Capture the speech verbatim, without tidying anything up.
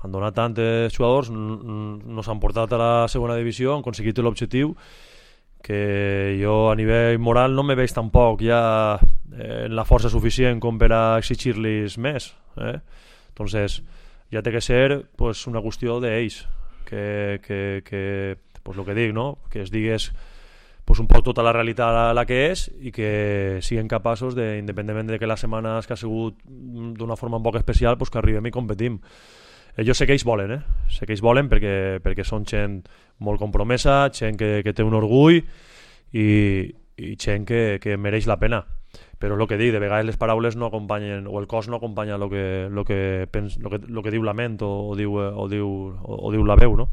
han donat tants jugadors, no s'han portat a la segona divisió, han aconseguit l'objectiu, que jo a nivell moral no me veig tampoc ja en la força suficient com per a exigir-los més. Eh? Entonces, ja té que ser pues, una qüestió d'ells, que, que, que pues, el que dic, no? Que es digués pues, un poc tota la realitat a la que és i que siguin capaços, de, independentment de que les setmanes que ha sigut d'una forma un poc especial, pues, que arribem i competim. Eh, jo sé que ells volen, eh? sé que ells volen perquè, perquè són gent molt compromesa, gent que, que té un orgull i, i gent que, que mereix la pena. Però el que dic, de vegades les paraules no acompanyen, o el cos no acompanya el que, lo que, pens, lo que, lo que diu la ment o, o, diu, o, diu, o, o diu la veu, no?